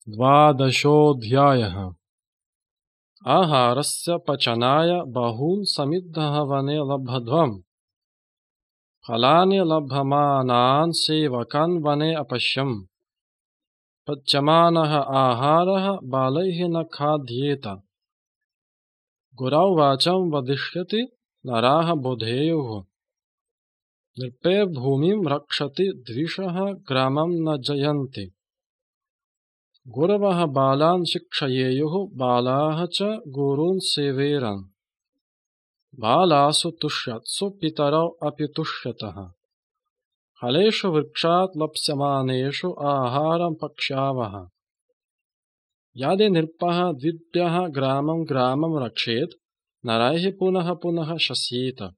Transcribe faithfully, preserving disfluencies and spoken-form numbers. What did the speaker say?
द्वादशोऽध्यायः। आहारस्य पचनाय बहून् समिद्धः वने लब्ध्वम् फलानि लभ्यमानान् सेवकान् वने अपश्यम्। पच्यमानः आहारः बालैः न खाद्येत। गुरौवाचं वदिष्यति नराः बोधेयुः। नृपे भूमिं रक्षति द्विषः ग्रामं न जयन्ति। गुरवः बालान् शिक्षयेयुः बालाः च गुरून् सेवेरन्। बालासु तुष्यत्सु पितरौ अपि तुष्यतः। फलेषु वृक्षात् लप्स्यमानेषु आहारं पक्ष्यावः। यदि नृपः द्विभ्यः ग्रामं ग्रामं रक्षेत् नरैः पुनः पुनः शस्येत।